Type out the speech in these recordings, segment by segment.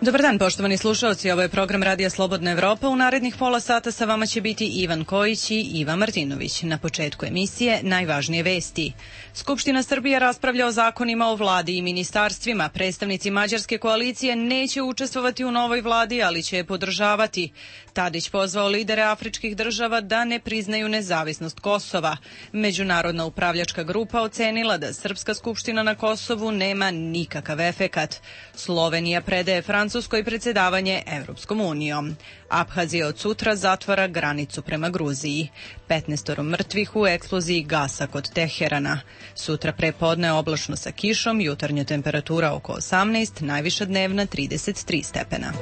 Dobar dan, poštovani slušalci, ovo je program Radija Slobodna Evropa. U narednih pola sata sa vama će biti Ivan Kojić i Iva Martinović. Na početku emisije najvažnije vesti. Skupština Srbije raspravlja o zakonima o vladi i ministarstvima. Predstavnici mađarske koalicije neće učestvovati u novoj vladi, ali će je podržavati. Tadić pozvao lidere afričkih država da ne priznaju nezavisnost Kosova. Međunarodna upravljačka grupa ocenila da Srpska skupština na Kosovu nema nikakav efekat. Slovenija predaje Francuskoj predsjedavanje Evropskom unijom. Abhazija od sutra zatvara granicu prema Gruziji. 15 mrtvih u eksploziji gasa kod Teherana. Sutra prepodne oblačno sa kišom, jutarnja temperatura oko 18, najviša dnevna 33 stepena.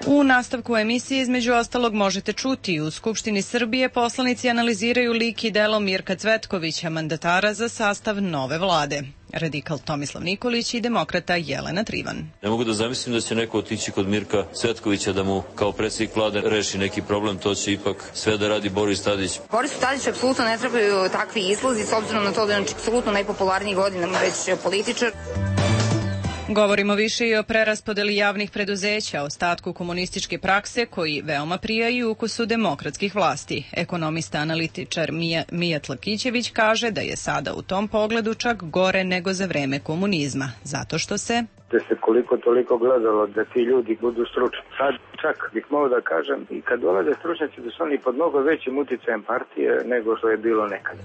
U nastavku emisije između ostalog možete čuti: u Skupštini Srbije poslanici analiziraju lik i delo Mirka Cvetkovića, mandatara za sastav nove vlade. Radikal Tomislav Nikolić i demokrata Jelena Trivan. Ne mogu da zamislim da će neko otići kod Mirka Cvetkovića da mu kao predsjednik vlade reši neki problem, to će ipak sve da radi Boris Tadić. Borisu Tadiću apsolutno ne trebaju takvi izlazi, s obzirom na to da je on apsolutno najpopularniji godinama već političar. Govorimo više i o preraspodeli javnih preduzeća, ostatku komunističke prakse koji veoma prija i ukusu demokratskih vlasti. Ekonomista analitičar Mijat Lakićević kaže da je sada u tom pogledu čak gore nego za vreme komunizma, zato što se koliko toliko gledalo da ti ljudi budu stručni. Sad čak bih mogao da kažem, i kad dolaze stručnjaci da su oni pod mnogo većim uticajem partije nego što je bilo nekada.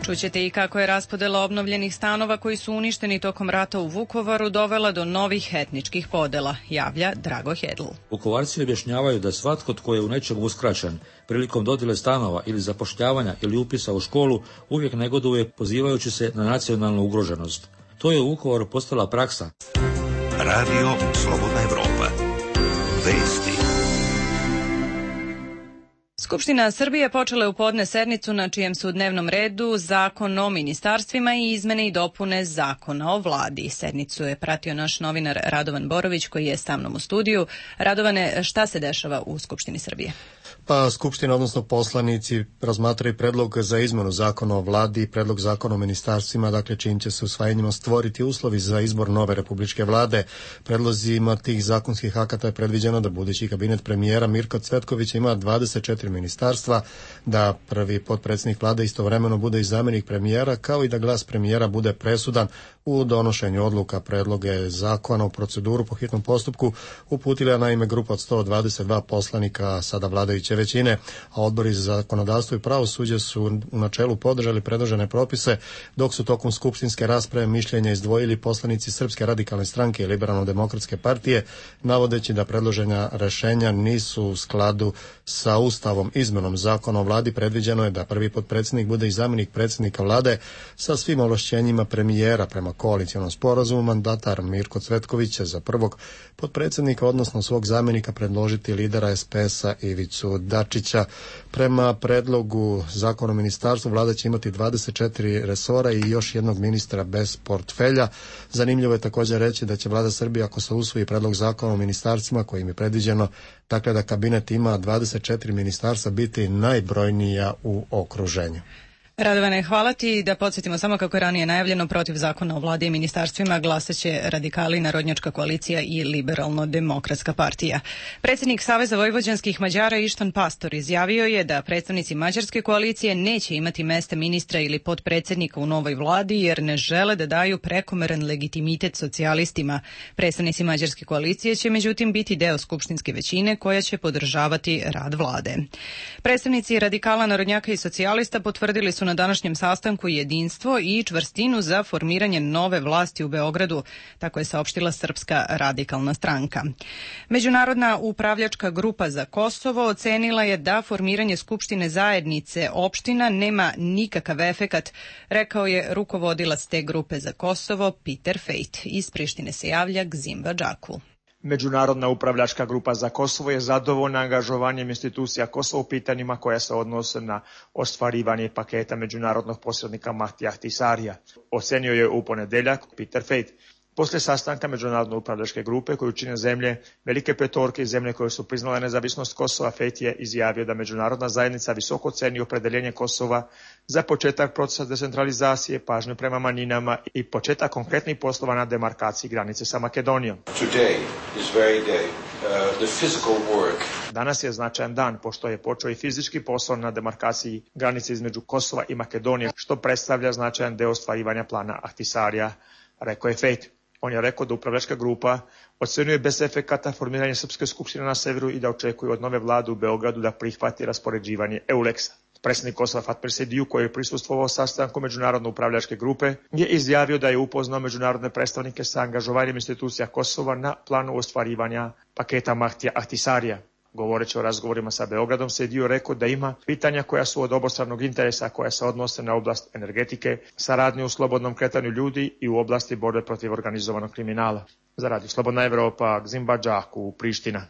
Čućete i kako je raspodela obnovljenih stanova koji su uništeni tokom rata u Vukovaru dovela do novih etničkih podela, javlja Drago Hedl. Vukovarci objašnjavaju da svatko tko je u nečemu uskraćen prilikom dodjele stanova ili zapošljavanja ili upisa u školu uvijek negoduje pozivajući se na nacionalnu ugroženost. To je u Vukovaru postala praksa. Radio Slobodna Evropa. Vesti. Skupština Srbije počela je u podne sednicu na čijem su u dnevnom redu Zakon o ministarstvima i izmene i dopune Zakona o vladi. Sednicu je pratio naš novinar Radovan Borović koji je sa mnom u studiju. Radovane, šta se dešava u Skupštini Srbije? Pa Skupština, odnosno poslanici, razmatraju predlog za izmenu Zakona o vladi i predlog Zakona o ministarstvima, dakle čijim će se usvajanjima stvoriti uslovi za izbor nove republičke vlade. Predlozima tih zakonskih akata je predviđeno da budući kabinet premijera Mirka Cvetkovića ima 24 ministarstva, da prvi potpredsjednik vlade istovremeno bude i zamjenik premijera, kao i da glas premijera bude presudan u donošenju odluka. Predloge zakona u proceduru po hitnom postupku uputila naime grupa od 122 poslanika sada vladajuće većine, a odbori za zakonodavstvo i pravosuđe su u načelu podržali predložene propise, dok su tokom skupštinske rasprave mišljenja izdvojili poslanici Srpske radikalne stranke i Liberalno-demokratske partije, navodeći da predložena rešenja nisu u skladu sa Ustavom. Izmenom Zakona o vladi predviđeno je da prvi potpredsjednik bude i zamjenik predsjednika vlade sa svim ovlašćenjima premijera. Prema koalicionom sporazumu mandatar Mirko Cvetković će za prvog potpredsjednika, odnosno svog zamjenika, predložiti lidera SPS-a Ivicu Dačića. Prema predlogu Zakona o ministarstvu vlada će imati 24 resora i još jednog ministra bez portfelja. Zanimljivo je također reći da će vlada Srbije, ako se usvoji predlog Zakona o ministarstvima kojim je predviđeno dakle da kabinet ima 24 ministarstva, biti najbrojnija u okruženju. Radovane, hvala ti. Da podsjetimo samo kako je ranije najavljeno, protiv Zakona o vladi i ministarstvima glasaće radikali, Narodnjačka koalicija i Liberalno-demokratska partija. Predsjednik Saveza vojvođanskih Mađara Ištvan Pastor izjavio je da predstavnici mađarske koalicije neće imati mesta ministra ili potpredsjednika u novoj vladi jer ne žele da daju prekomeran legitimitet socijalistima. Predstavnici mađarske koalicije će međutim biti deo skupštinske većine koja će podržavati rad vlade. Predstavnici radikala, narodnjaka i socijalista potvrdili su na današnjem sastanku jedinstvo i čvrstinu za formiranje nove vlasti u Beogradu, tako je saopštila Srpska radikalna stranka. Međunarodna upravljačka grupa za Kosovo ocenila je da formiranje Skupštine zajednice opština nema nikakav efekat, rekao je rukovodilac te grupe za Kosovo Peter Fejt. Iz Prištine se javlja Gzim Vadžaku. Međunarodna upravljačka grupa za Kosovo je zadovoljna angažovanjem institucija Kosova u pitanjima koja se odnose na ostvarivanje paketa međunarodnog posrednika Mahtija Ahtisarija. Ocenio je u ponedeljak Peter Fejt. Poslije sastanka međunarodne upravljačke grupe koju čine zemlje Velike petorke i zemlje koje su priznale nezavisnost Kosova, Fejt je izjavio da međunarodna zajednica visoko ceni opredjeljenje Kosova za početak procesa decentralizacije, pažnju prema manjinama i početak konkretnih poslova na demarkaciji granice sa Makedonijom. Danas je značajan dan pošto je počeo i fizički posao na demarkaciji granice između Kosova i Makedonije, što predstavlja značajan deo ostvarivanja plana Ahtisarija, rekao je Fejt. On je rekao da upravljačka grupa ocenjuje bez efekata formiranje Srpske skupštine na severu i da očekuje od nove vlade u Beogradu da prihvati raspoređivanje EULEX-a. Predsjednik Kosova Fatmir Sejdiu, koji je prisustvovao sastanku međunarodne upravljačke grupe, je izjavio da je upoznao međunarodne predstavnike sa angažovanjem institucija Kosova na planu ostvarivanja paketa Mahtija Ahtisarija. Govoreći o razgovorima sa Beogradom, Sejdiu rekao da ima pitanja koja su od obostranog interesa, koja se odnose na oblast energetike, saradnju u slobodnom kretanju ljudi i u oblasti borbe protiv organizovanog kriminala. Za Radio Slobodna Evropa, Gzimba Džaku, Priština.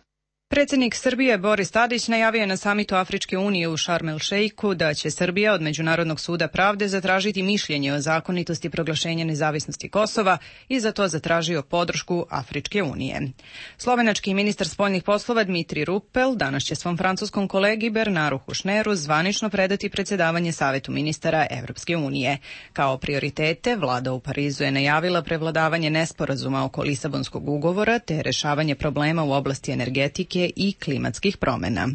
Predsjednik Srbije Boris Tadić najavio je na samitu Afričke unije u Šarm el Šeiku da će Srbija od Međunarodnog suda pravde zatražiti mišljenje o zakonitosti proglašenja nezavisnosti Kosova i za to zatražio podršku Afričke unije. Slovenački ministar spoljnih poslova Dmitri Rupel danas će svom francuskom kolegi Bernaru Hušneru zvanično predati predsjedavanje Savetu ministara Evropske unije. Kao prioritete, vlada u Parizu je najavila prevladavanje nesporazuma oko Lisabonskog ugovora te rešavanje problema u oblasti energetike i klimatskih promjena.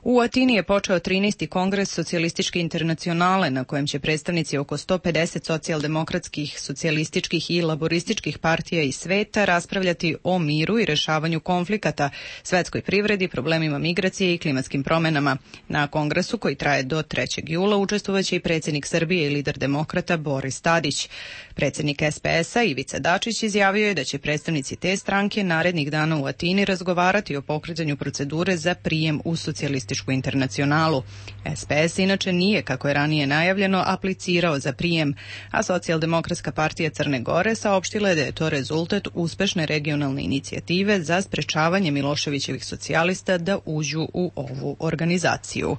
U Atini je počeo 13. kongres Socijalističke internacionale na kojem će predstavnici oko 150 socijaldemokratskih, socijalističkih i laborističkih partija iz sveta raspravljati o miru i rešavanju konflikata, svetskoj privredi, problemima migracije i klimatskim promjenama. Na kongresu koji traje do 3. jula učestvovaće i predsjednik Srbije i lider demokrata Boris Tadić. Predsjednik SPS-a Ivica Dačić izjavio je da će predstavnici te stranke narednih dana u Atini razgovarati o pokretanju procedure za prijem u Socijalističku internacionalu. SPS inače nije, kako je ranije najavljeno, aplicirao za prijem, a Socijaldemokratska partija Crne Gore saopštila je da je to rezultat uspešne regionalne inicijative za sprečavanje Miloševićevih socijalista da uđu u ovu organizaciju.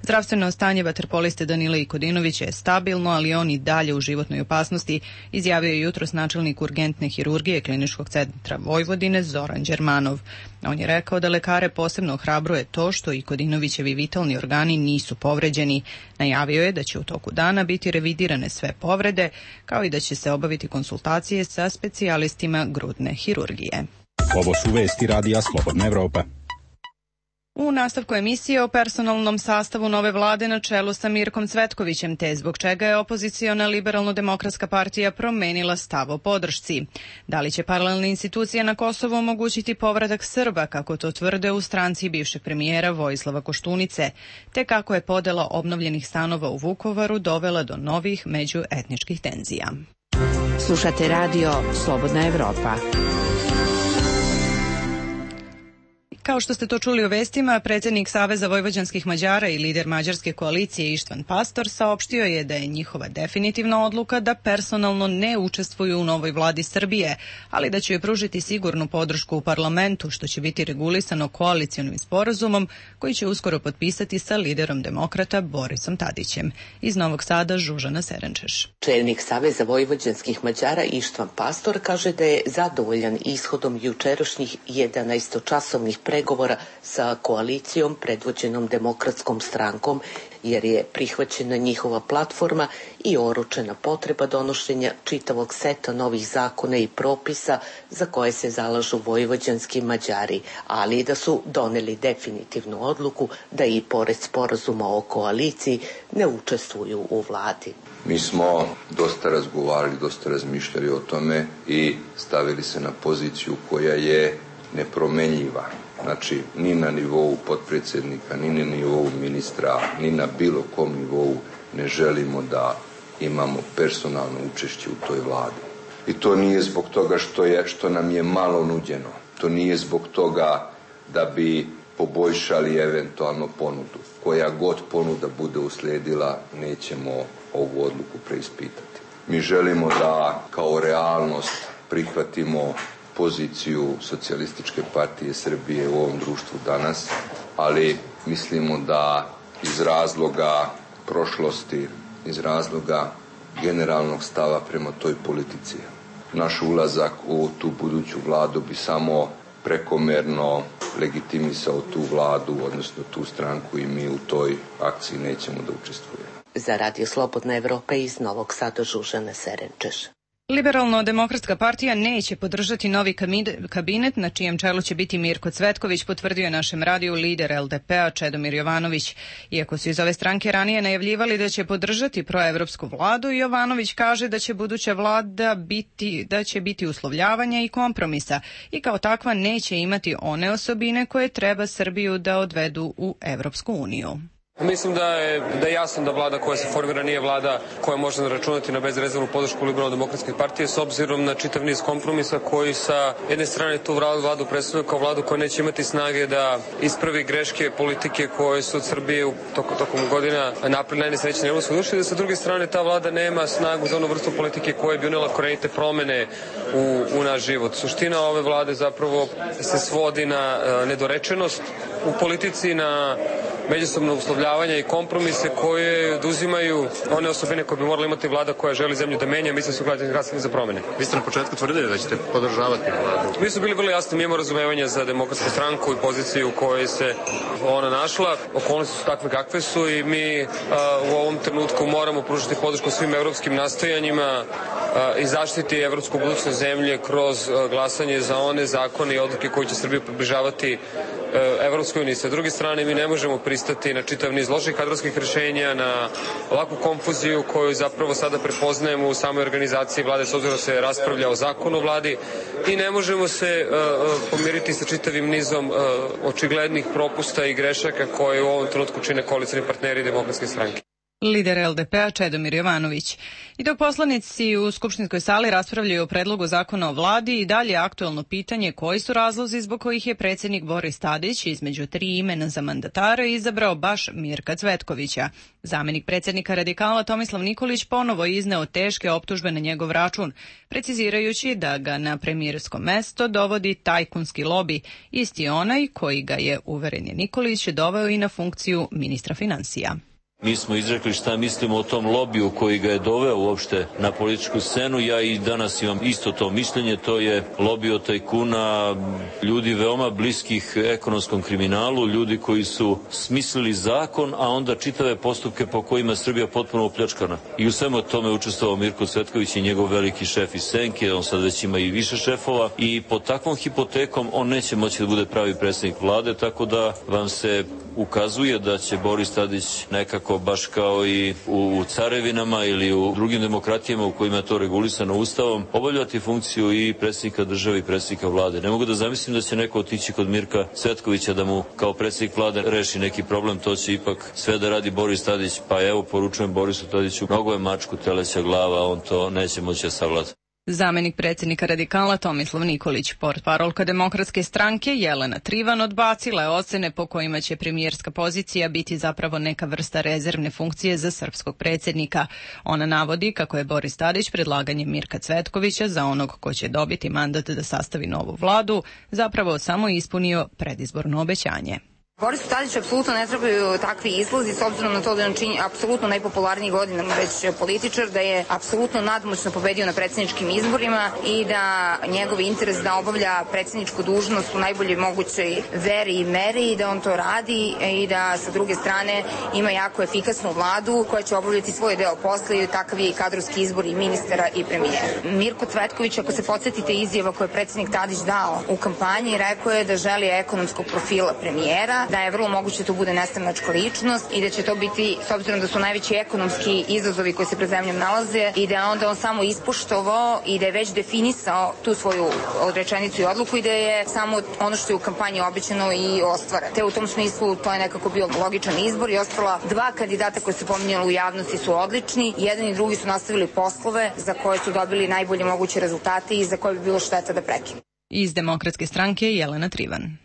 Zdravstveno stanje vaterpoliste Danila Ikodinovića je stabilno, ali on i dalje u životnoj opasnosti, izjavio je jutros načelnik urgentne hirurgije Kliničkog centra Vojvodine Zoran Đermanov. On je rekao da lekare posebno ohrabruje to što Ikodinovićevi vitalni organi nisu povređeni. Najavio je da će u toku dana biti revidirane sve povrede, kao i da će se obaviti konsultacije sa specijalistima grudne hirurgije. Ovo su vesti Radija Slobodna Evropa. U nastavku emisije o personalnom sastavu nove vlade na čelu sa Mirkom Cvetkovićem, te zbog čega je opoziciona Liberalno-demokratska partija promenila stav o podršci. Da li će paralelne institucije na Kosovu omogućiti povratak Srba, kako to tvrde u stranci bivšeg premijera Vojislava Koštunice, te kako je podela obnovljenih stanova u Vukovaru dovela do novih međuetničkih tenzija. Slušate radio Slobodna Evropa. Kao što ste to čuli u vestima, predsjednik Saveza vojvođanskih Mađara i lider mađarske koalicije Ištvan Pastor saopštio je da je njihova definitivna odluka da personalno ne učestvuju u novoj vladi Srbije, ali da će joj pružiti sigurnu podršku u parlamentu, što će biti regulisano koalicionim sporazumom koji će uskoro potpisati sa liderom demokrata Borisom Tadićem. Iz Novog Sada Žužana Serenčeš. Čelnik Saveza vojvođanskih Mađara Ištvan Pastor kaže da je zadovoljan ishodom jučerašnjih 11-časovnih pregovora sa koalicijom predvođenom Demokratskom strankom, jer je prihvaćena njihova platforma i oročena potreba donošenja čitavog seta novih zakona i propisa za koje se zalažu vojvođanski Mađari, ali i da su doneli definitivnu odluku da i pored sporazuma o koaliciji ne učestvuju u vladi. Mi smo dosta razgovarali, dosta razmišljali o tome i stavili se na poziciju koja je nepromenljiva. Znači, ni na nivou potpredsjednika, ni na nivou ministra, ni na bilo kom nivou ne želimo da imamo personalno učešće u toj vladi. I to nije zbog toga što nam je malo nuđeno. To nije zbog toga da bi poboljšali eventualno ponudu. Koja god ponuda bude uslijedila, nećemo ovu odluku preispitati. Mi želimo da kao realnost prihvatimo poziciju Socijalističke partije Srbije u ovom društvu danas, ali mislimo da iz razloga prošlosti, iz razloga generalnog stava prema toj politici, naš ulazak u tu buduću vladu bi samo prekomerno legitimisao tu vladu, odnosno tu stranku, i mi u toj akciji nećemo da učestvujemo. Za Radio Slobodna Evropa iz Novog Sada Žužana Serenčeš. Liberalno-demokratska partija neće podržati novi kabinet na čijem čelu će biti Mirko Cvetković, potvrdio je našem radiju lider LDP-a Čedomir Jovanović. Iako su iz ove stranke ranije najavljivali da će podržati proevropsku vladu, Jovanović kaže da će buduća vlada biti uslovljavanja i kompromisa i kao takva neće imati one osobine koje treba Srbiju da odvedu u Evropsku uniju. Mislim da je jasno da vlada koja se formira nije vlada koja može računati na bezrezervnu podršku Liberalno-demokratske partije s obzirom na čitav niz kompromisa koji sa jedne strane tu vladu predstavljaju kao vladu koja neće imati snage da ispravi greške politike koje su od Srbije tokom godina napravili najnesrećnije evropske duše, da sa druge strane ta vlada nema snagu za onu vrstu politike koja bi unela korenite promene u naš život. Suština ove vlade zapravo se svodi na nedorečenost u politici, na međusobno uslovljavanja i kompromise koje oduzimaju one osobine koje bi morala imati vlada koja želi zemlju da menja. Mislim da su glasni za promene. Vi ste na početku tvrdili da ćete podržavati vladu. Mi su bili vrlo jasni, mi imamo razumevanje za Demokratsku stranku i poziciju u kojoj se ona našla. Okolnosti su takve kakve su i mi u ovom trenutku moramo pružiti podršku svim evropskim nastojanjima i zaštiti evropsku budućnost zemlje kroz glasanje za one zakone i odluke koje će Srbiju približavati Evropskoj uniji. Sa druge strane, mi ne možemo pristati na čitav niz loših kadrovskih rješenja, na ovakvu konfuziju koju zapravo sada prepoznajemo u samoj organizaciji vlade, s obzirom da se raspravlja o zakonu o vladi, i ne možemo se pomiriti sa čitavim nizom očiglednih propusta i grešaka koje u ovom trenutku čine koalicioni partneri Demokratske stranke. Lider LDP-a Čedomir Jovanović. I dok poslanici u skupštinskoj sali raspravljaju o predlogu zakona o vladi, i dalje aktuelno pitanje koji su razlozi zbog kojih je predsjednik Boris Tadić između 3 imena za mandatara izabrao baš Mirka Cvetkovića. Zamenik predsjednika Radikala Tomislav Nikolić ponovo izneo teške optužbe na njegov račun, precizirajući da ga na premijersko mesto dovodi tajkunski lobi, isti onaj koji ga je, uveren je Nikolić, doveo i na funkciju ministra financija. Mi smo izrekli šta mislimo o tom lobiju koji ga je doveo uopšte na političku scenu. Ja i danas imam isto to mišljenje, to je lobij od tajkuna, ljudi veoma bliskih ekonomskom kriminalu, ljudi koji su smislili zakon, a onda čitave postupke po kojima je Srbija potpuno opljačkana. I u svemu tome učestvovao Mirko Cvetković i njegov veliki šef iz Senke, on sad već ima i više šefova, i pod takvom hipotekom on neće moći da bude pravi predsjednik vlade, tako da vam se ukazuje da će Boris Tadić nekako baš kao i u carevinama ili u drugim demokratijama u kojima je to regulisano ustavom, obavljati funkciju i predsjednika države i predsjednika vlade. Ne mogu da zamislim da će neko otići kod Mirka Cvetkovića da mu kao predsjednik vlade reši neki problem, to će ipak sve da radi Boris Tadić, pa evo poručujem Borisu Tadiću, mnogo je mačku teleća glava, on to neće moći da savlada. Zamenik predsjednika Radikala Tomislav Nikolić. Portparolka Demokratske stranke Jelena Trivan odbacila je ocene po kojima će premijerska pozicija biti zapravo neka vrsta rezervne funkcije za srpskog predsjednika. Ona navodi kako je Boris Tadić predlaganjem Mirka Cvetkovića za onog ko će dobiti mandat da sastavi novu vladu zapravo samo ispunio predizborno obećanje. Borisu Tadiću apsolutno ne trebaju takvi izlazi, s obzirom na to da je on čini apsolutno najpopularniji godinama već političar, da je apsolutno nadmoćno pobedio na predsjedničkim izborima i da njegov interes da obavlja predsjedničku dužnost u najboljoj mogućoj veri i meri i da on to radi i da sa druge strane ima jako efikasnu vladu koja će obavljati svoj deo posla i takav je i kadrovski izbor i ministara i premijera. Mirko Cvetković, ako se podsjetite izjava koje je predsjednik Tadić dao u kampanji, rekao je da želi ekonomskog profila premijera, da je vrlo moguće to bude nestranačka ličnost i da će to biti, s obzirom da su najveći ekonomski izazovi koji se pred zemljom nalaze, i da je onda on samo ispoštovao i da je već definisao tu svoju rečenicu i odluku i da je samo ono što je u kampanji obećano i ostvaren. Te u tom smislu to je nekako bio logičan izbor i ostala 2 kandidata koji su pominjali u javnosti su odlični. Jedan i drugi su nastavili poslove za koje su dobili najbolje moguće rezultate i za koje bi bilo šteta da prekinu. Iz Demokratske stranke Jelena Trivan.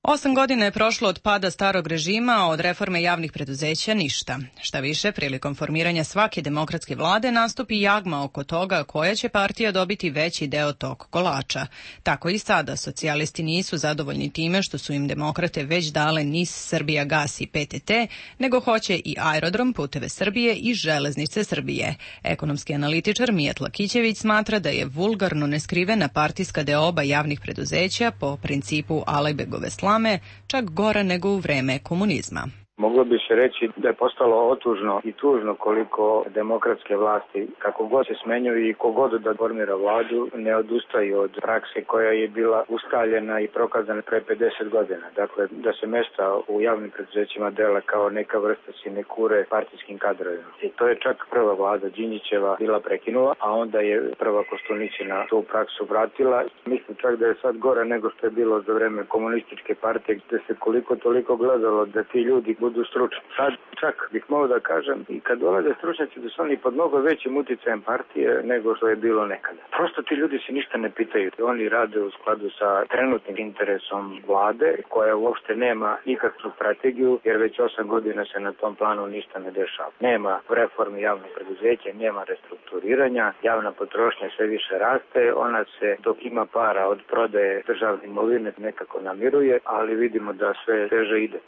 8 godina je prošlo od pada starog režima, a od reforme javnih preduzeća ništa. Šta više, prilikom formiranja svake demokratske vlade nastupi jagma oko toga koja će partija dobiti veći deo tog kolača. Tako i sada, socijalisti nisu zadovoljni time što su im demokrate već dale NIS, Srbijagas i PTT, nego hoće i aerodrom, Puteve Srbije i železnice Srbije. Ekonomski analitičar Mijat Lakićević smatra da je vulgarno neskrivena partijska deoba javnih preduzeća po principu Alajbegove slame čak gora nego u vreme komunizma. Moglo bi se reći da je postalo otužno i tužno koliko demokratske vlasti, kako god se smenjuju i kogod da formira vladu, ne odustaju od prakse koja je bila ustaljena i prokazana pre 50 godina. Dakle, da se mesta u javnim preduzećima dele kao neka vrsta sinekure partijskim kadrovima. I to je čak prva vlada Đinđićeva bila prekinula, a onda je prva Koštunićina tu praksu vratila. Mislim čak da je sad gore nego što je bilo za vreme komunističke partije, gde se koliko toliko gledalo da ti ljudi budu stručni. Sad čak bih mogao da kažem i kad dolaze stručnjaci da su oni pod mnogo većim uticajem partije nego što je bilo nekada. Prosto ti ljudi se ništa ne pitaju. Oni rade u skladu sa trenutnim interesom vlade koja uopšte nema nikakvu strategiju jer već 8 godina se na tom planu ništa ne dešava. Nema reformi javnog preduzeća, nema restrukturiranja, javna potrošnja sve više raste, ona se dok ima para od prodaje državne imovine nekako namiruje, ali vidimo da sve teže ide.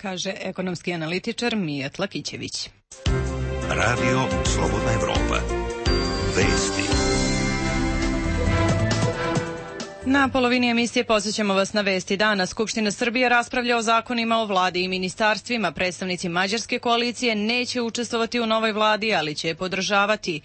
Kaže ekonomski analitičar Mijat Lakićević. Radio Slobodna Evropa. Vesti. Na polovini emisije podsjećamo vas na vesti dana. Skupština Srbije raspravlja o zakonima o vladi i ministarstvima. Predstavnici mađarske koalicije neće učestvovati u novoj vladi, ali će je podržavati.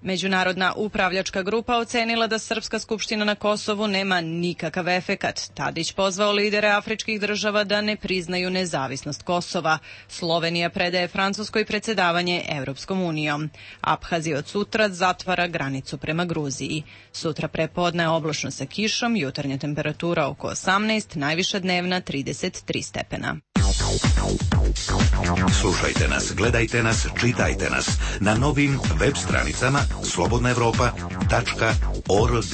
Međunarodna upravljačka grupa ocenila da Srpska skupština na Kosovu nema nikakav efekat. Tadić pozvao lidere afričkih država da ne priznaju nezavisnost Kosova. Slovenija predaje Francuskoj predsjedavanje Evropskom unijom. Abhazija od sutra zatvara granicu prema Gruziji. Sutra prepodne oblačno sa kišom, jutarnja temperatura oko 18, najviša dnevna 33 stepena. Slušajte nas, gledajte nas, čitajte nas na novim web stranicama slobodnaevropa.org.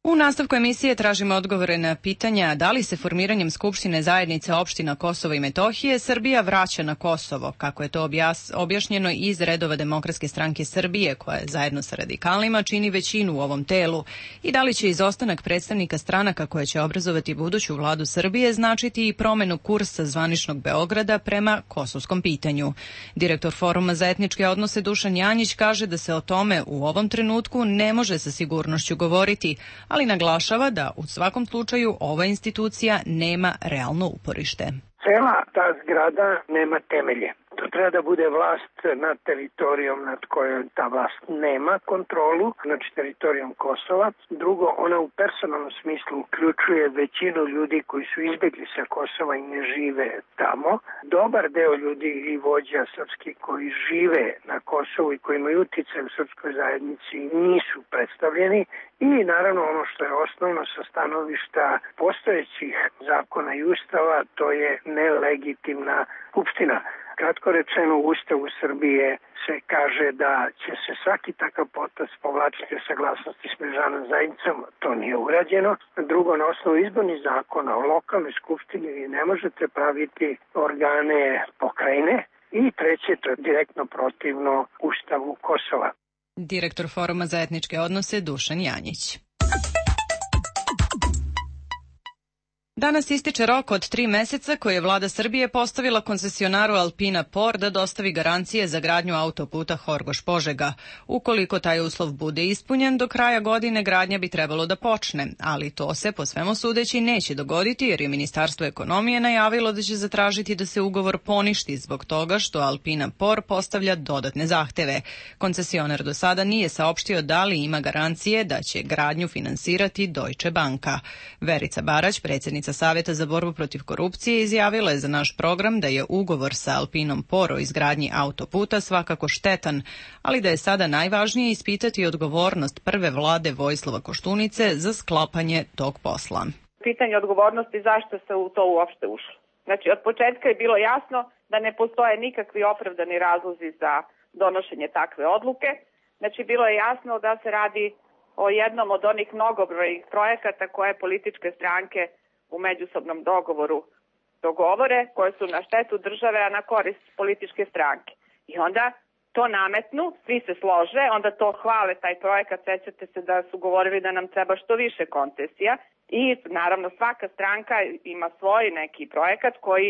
U nastavku emisije tražimo odgovore na pitanja da li se formiranjem Skupštine zajednice opština Kosova i Metohije Srbija vraća na Kosovo, kako je to objašnjeno iz redova Demokratske stranke Srbije, koja zajedno sa radikalima čini većinu u ovom telu, i da li će izostanak predstavnika stranaka koje će obrazovati buduću vladu Srbije značiti i promenu kursa zvaničnog Beograda prema kosovskom pitanju. Direktor Foruma za etničke odnose Dušan Janjić kaže da se o tome u ovom trenutku ne može sa sigurnošću govoriti, ali naglašava da u svakom slučaju ova institucija nema realno uporište. Cela ta zgrada nema temelje. To treba da bude vlast nad teritorijom nad kojom ta vlast nema kontrolu, znači teritorijom Kosova. Drugo, ona u personalnom smislu uključuje većinu ljudi koji su izbjegli sa Kosova i ne žive tamo. Dobar deo ljudi i vođa srpski koji žive na Kosovu i koji imaju utjecaj u srpskoj zajednici nisu predstavljeni. I naravno ono što je osnovno sa stanovišta postojećih zakona i ustava, to je nelegitimna skupština. Kratko rečeno, u Ustavu Srbije se kaže da će se svaki takav potez povlačiti o saglasnosti s međunarodnom zajednicom, to nije urađeno. Drugo, na osnovu izbornih zakona o lokalnoj skupštini vi ne možete praviti organe pokrajine. I treće, to je direktno protivno Ustavu Kosova. Direktor Foruma za etničke odnose Dušan Janjić. Danas ističe rok od 3 meseca koji je vlada Srbije postavila koncesionaru Alpina Por da dostavi garancije za gradnju autoputa Horgoš-Požega. Ukoliko taj uslov bude ispunjen, do kraja godine gradnja bi trebalo da počne, ali to se po svemu sudeći neće dogoditi jer je Ministarstvo ekonomije najavilo da će zatražiti da se ugovor poništi zbog toga što Alpina Por postavlja dodatne zahteve. Koncesionar do sada nije saopštio da li ima garancije da će gradnju finansirati Deutsche Banka. Verica Barać, predsjednica Savjeta za borbu protiv korupcije, izjavila je za naš program da je ugovor sa Alpinom Por o izgradnji autoputa svakako štetan, ali da je sada najvažnije ispitati odgovornost prve vlade Vojislava Koštunice za sklapanje tog posla. Pitanje odgovornosti zašto se u to uopšte ušlo. Znači, od početka je bilo jasno da ne postoje nikakvi opravdani razlozi za donošenje takve odluke. Znači, bilo je jasno da se radi o jednom od onih mnogobrojnih projekata koje političke stranke u međusobnom dogovoru dogovore, koje su na štetu države, a na korist političke stranke. I onda to nametnu, svi se slože, onda to hvale taj projekat, sećate se da su govorili da nam treba što više koncesija i naravno svaka stranka ima svoj neki projekat koji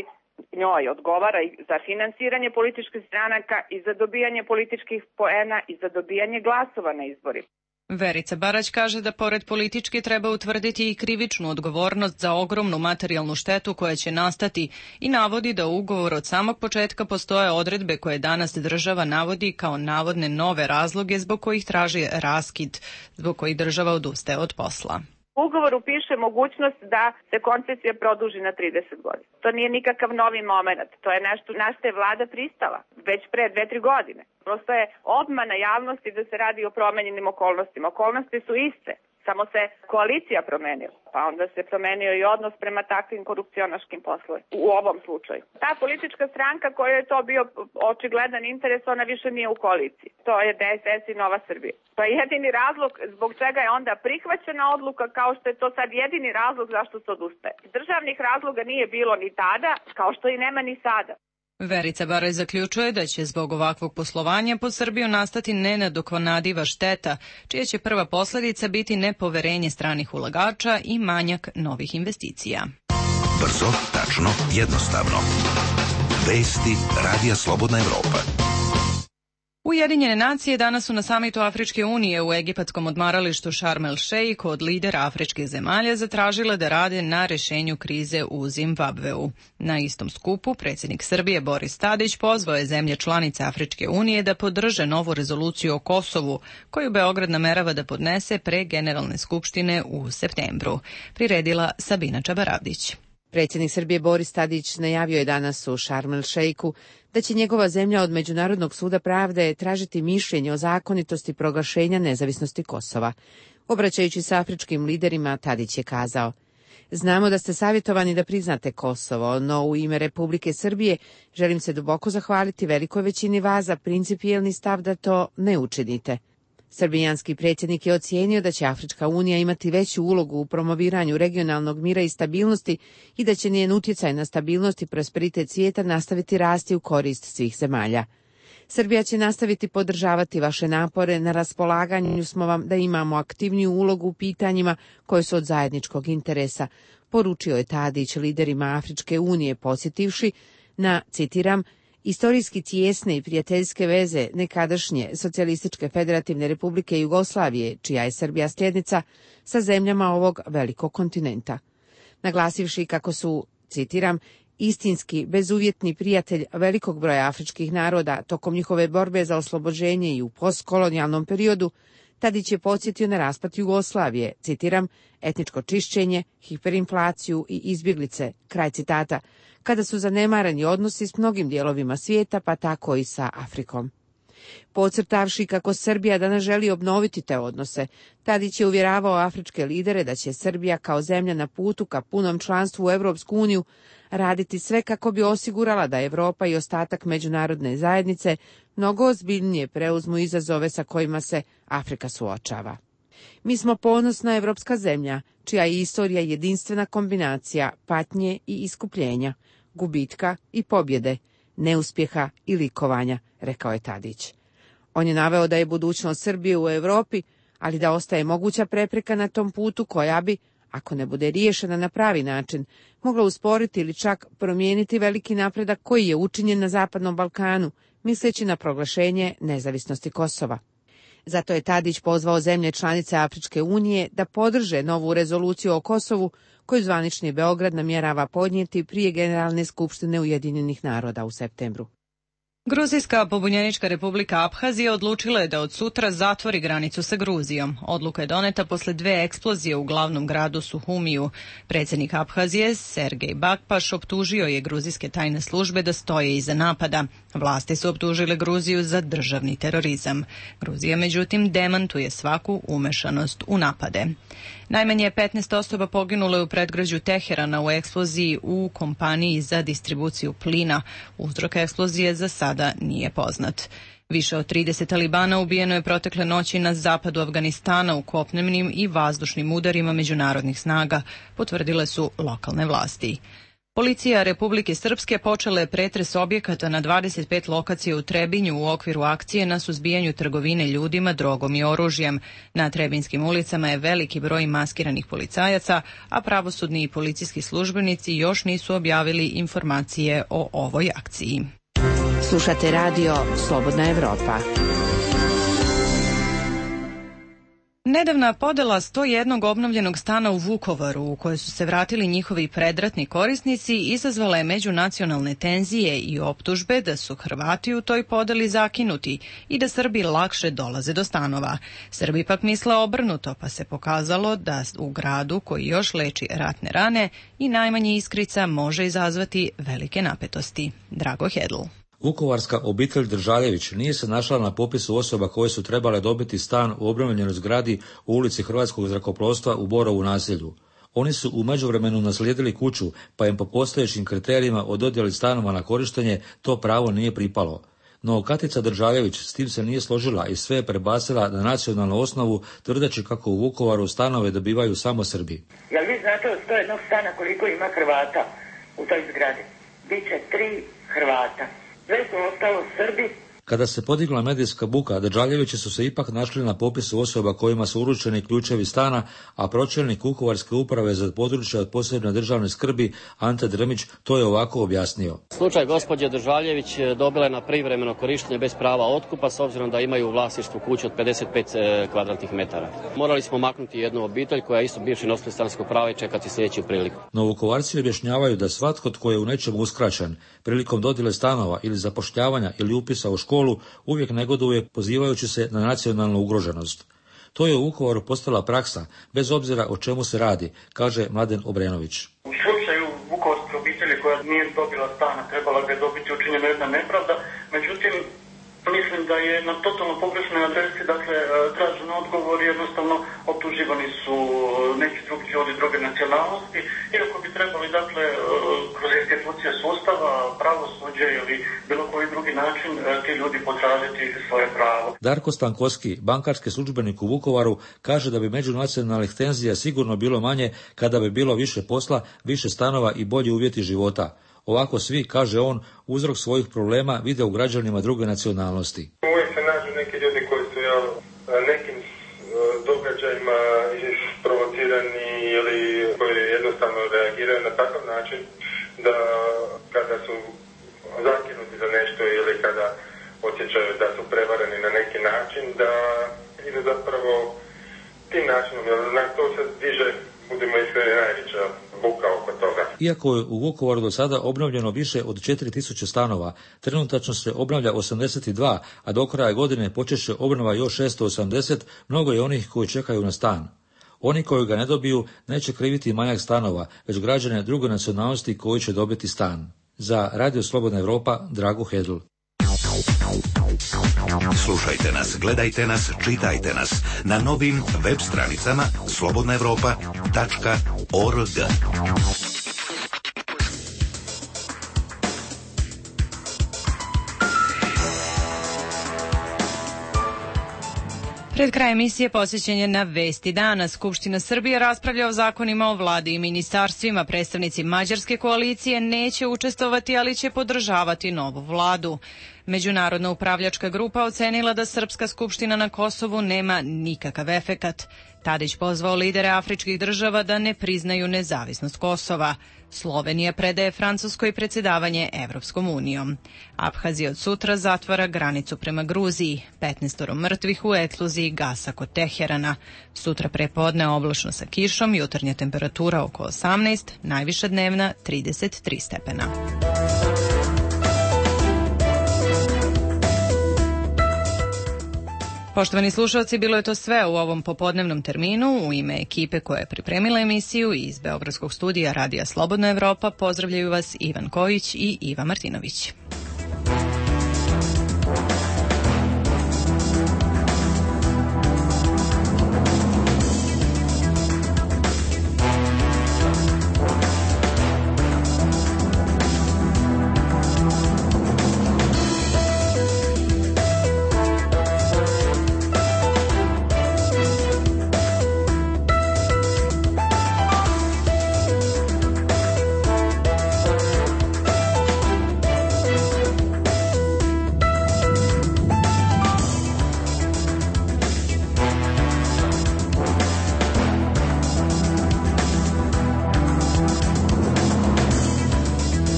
njoj odgovara i za finansiranje političkih stranaka i za dobijanje političkih poena i za dobijanje glasova na izborima. Verica Barać kaže da pored politički treba utvrditi i krivičnu odgovornost za ogromnu materijalnu štetu koja će nastati i navodi da u ugovoru od samog početka postoje odredbe koje danas država navodi kao navodne nove razloge zbog kojih traži raskid, zbog kojih država odustaje od posla. U ugovoru piše mogućnost da se koncesija produži na 30 godina. To nije nikakav novi moment. To je nešto na što je vlada pristala već pre 2-3 godine. Prosto je obmana javnosti da se radi o promenjenim okolnostima. Okolnosti su iste, samo se koalicija promenila. Pa onda se promenio i odnos prema takvim korupcionaškim poslovima u ovom slučaju. Ta politička stranka koja je to bio očigledan interes, ona više nije u koaliciji. To je DSS i Nova Srbija. To je jedini razlog zbog čega je onda prihvaćena odluka, kao što je to sad jedini razlog zašto se odustaje. Državnih razloga nije bilo ni tada, kao što i nema ni sada. Verica Baraj zaključuje da će zbog ovakvog poslovanja po Srbiju nastati nenadoknadiva šteta, čija će prva posljedica biti nepoverenje stranih ulagača i manjak novih investicija. Brzo, tačno, jednostavno. Vesti Radija Slobodna Evropa. Ujedinjene nacije danas su na samitu Afričke unije u egipatskom odmaralištu Sharm el Sheikh od lidera afričkih zemalja zatražile da rade na rešenju krize u Zimbabveu. Na istom skupu predsjednik Srbije Boris Tadić pozvao je zemlje članice Afričke unije da podrže novu rezoluciju o Kosovu, koju Beograd namerava da podnese pre Generalne skupštine u septembru. Priredila Sabina Čabaravdić. Predsjednik Srbije Boris Tadić najavio je danas u Sharm el Sheikhu da će njegova zemlja od Međunarodnog suda pravde tražiti mišljenje o zakonitosti proglašenja nezavisnosti Kosova. Obraćajući se afričkim liderima, Tadić je kazao: "Znamo da ste savjetovani da priznate Kosovo, no u ime Republike Srbije želim se duboko zahvaliti velikoj većini vas za principijelni stav da to ne učinite." Srbijanski predsjednik je ocijenio da će Afrička unija imati veću ulogu u promoviranju regionalnog mira i stabilnosti i da će njen utjecaj na stabilnost i prosperitet svijeta nastaviti rasti u korist svih zemalja. Srbija će nastaviti podržavati vaše napore, na raspolaganju smo vam da imamo aktivniju ulogu u pitanjima koje su od zajedničkog interesa, poručio je Tadić liderima Afričke unije, podsjetivši na, citiram, "istorijski tijesne i prijateljske veze nekadašnje Socijalističke federativne republike Jugoslavije, čija je Srbija sljednica, sa zemljama ovog velikog kontinenta." Naglasivši kako su, citiram, "istinski, bezuvjetni prijatelj velikog broja afričkih naroda tokom njihove borbe za oslobođenje i u postkolonijalnom periodu", Tadić je podsjetio na raspad Jugoslavije, citiram, "etničko čišćenje, hiperinflaciju i izbjeglice", kraj citata, kada su zanemareni odnosi s mnogim dijelovima svijeta, pa tako i sa Afrikom. Podcrtavši kako Srbija danas želi obnoviti te odnose, Tadić je uvjeravao afričke lidere da će Srbija kao zemlja na putu ka punom članstvu u Europsku uniju raditi sve kako bi osigurala da Europa i ostatak međunarodne zajednice mnogo ozbiljnije preuzmu izazove sa kojima se Afrika suočava. "Mi smo ponosna evropska zemlja, čija je istorija jedinstvena kombinacija patnje i iskupljenja, gubitka i pobjede, neuspjeha i likovanja", rekao je Tadić. On je naveo da je budućnost Srbije u Europi, ali da ostaje moguća prepreka na tom putu koja bi, ako ne bude riješena na pravi način, mogla usporiti ili čak promijeniti veliki napredak koji je učinjen na Zapadnom Balkanu, misleći na proglašenje nezavisnosti Kosova. Zato je Tadić pozvao zemlje članice Afričke unije da podrže novu rezoluciju o Kosovu koju zvanični Beograd namjerava podnijeti prije Generalne skupštine Ujedinjenih naroda u septembru. Gruzijska pobunjenička republika Abhazija odlučila je da od sutra zatvori granicu sa Gruzijom. Odluka je doneta posle 2 eksplozije u glavnom gradu Suhumiju. Predsjednik Abhazije, Sergej Bakpaš, optužio je gruzijske tajne službe da stoje iza napada. Vlasti su optužile Gruziju za državni terorizam. Gruzija, međutim, demantuje svaku umešanost u napade. Najmanje 15 osoba poginulo je u predgrađu Teherana u eksploziji u kompaniji za distribuciju plina. Uzrok eksplozije za sada nije poznat. Više od 30 talibana ubijeno je protekle noći na zapadu Afganistana u kopnenim i vazdušnim udarima međunarodnih snaga, potvrdile su lokalne vlasti. Policija Republike Srpske počela je pretres objekata na 25 lokacija u Trebinju u okviru akcije na suzbijanju trgovine ljudima, drogom i oružjem. Na Trebinskim ulicama je veliki broj maskiranih policajaca, a pravosudni i policijski službenici još nisu objavili informacije o ovoj akciji. Slušate radio Slobodna Evropa. Nedavna podela 101 obnovljenog stana u Vukovaru, u koje su se vratili njihovi predratni korisnici, izazvala je međunacionalne tenzije i optužbe da su Hrvati u toj podeli zakinuti i da Srbi lakše dolaze do stanova. Srbi pak misle obrnuto, pa se pokazalo da u gradu koji još leči ratne rane i najmanje iskrica može izazvati velike napetosti. Drago Hedl. Vukovarska obitelj Držaljević nije se našla na popisu osoba koje su trebale dobiti stan u obnovljenoj zgradi u ulici Hrvatskog zrakoplovstva u Borovu naselju. Oni su u međuvremenu naslijedili kuću, pa im po postojećim kriterijima o dodjeli stanova na korištenje to pravo nije pripalo. No Katica Držaljević s tim se nije složila i sve je prebacila na nacionalnu osnovu, tvrdeći kako u Vukovaru stanove dobivaju samo Srbi. Jel vi znate od 101 stana koliko ima Hrvata u toj zgradi? Biće 3 Hrvata. Sve su ostalo Srbi. Kada se podigla medijska buka, Držaljevići su se ipak našli na popisu osoba kojima su uručeni ključevi stana, a pročelnik Vukovarske uprave za područje od posebne državne skrbi Ante Drmić to je ovako objasnio. Slučaj gospođe Držaljević dobila je na privremeno korištenje bez prava otkupa s obzirom da imaju u vlasništvu kuću od 55 kvadratnih metara. Morali smo maknuti jednu obitelj koja je isto bivši nositelj stanarskog prava i čekati sljedeću priliku. No Vukovarci objašnjavaju da svatko tko je u nečemu uskraćen prilikom dodjele stanova ili zapošljavanja ili upisa u školu uvijek negoduje pozivajući se na nacionalnu ugroženost. To je u Vukovaru postala praksa, bez obzira o čemu se radi, kaže Mladen Obrenović. U slučaju vukovarske obitelji koja nije dobila stana, trebala ga je dobiti učinjena jedna nepravda, međutim, mislim da je na totalno pogrešnoj adresi, dakle, tražen odgovor, jednostavno optuživani su neki drugi ljudi druge nacionalnosti, iako bi trebali, dakle, kroz institucije sustava, pravosuđe ili bilo koji drugi način ti ljudi potražiti svoje pravo. Darko Stankovski, bankarski službenik u Vukovaru, kaže da bi međunacionalnih tenzija sigurno bilo manje kada bi bilo više posla, više stanova i bolji uvjeti života. Ovako svi, kaže on, uzrok svojih problema vide u građanima druge nacionalnosti. Uvijek se nađu neki ljudi koji su nekim događajima isprovocirani ili koji jednostavno reagiraju na takav način da kada su zakinuti za nešto ili kada osjećaju da su prevareni na neki način, da idu zapravo tim načinom, jer na to se diže, budemo iskreni, najveća buka oko toga. Iako je u Vukovaru do sada obnovljeno više od 4000 stanova, trenutačno se obnavlja 82, a do kraja godine počet će obnova još 680, mnogo je onih koji čekaju na stan. Oni koji ga ne dobiju neće kriviti manjak stanova, već građane druge nacionalnosti koji će dobiti stan. Za Radio Slobodna Evropa, Drago Hedl. Slušajte nas, gledajte nas, čitajte nas na novim web stranicama slobodnaevropa.org. Pred kraj emisije posjećenje na Vesti dana. Skupština Srbije raspravlja o zakonima o vladi i ministarstvima. Predstavnici mađarske koalicije neće učestvovati, ali će podržavati novu vladu. Međunarodna upravljačka grupa ocenila da Srpska skupština na Kosovu nema nikakav efekat. Tadić pozvao lidere afričkih država da ne priznaju nezavisnost Kosova. Slovenija predaje Francuskoj predsjedavanje Evropskom unijom. Abhazija od sutra zatvara granicu prema Gruziji. 15 mrtvih u eksploziji gasa kod Teherana. Sutra prepodne oblačno sa kišom, jutarnja temperatura oko 18, najviša dnevna 33 stepena. Poštovani slušalci, bilo je to sve u ovom popodnevnom terminu. U ime ekipe koja je pripremila emisiju iz Beogradskog studija Radija Slobodna Evropa pozdravljaju vas Ivan Kojić i Iva Martinović.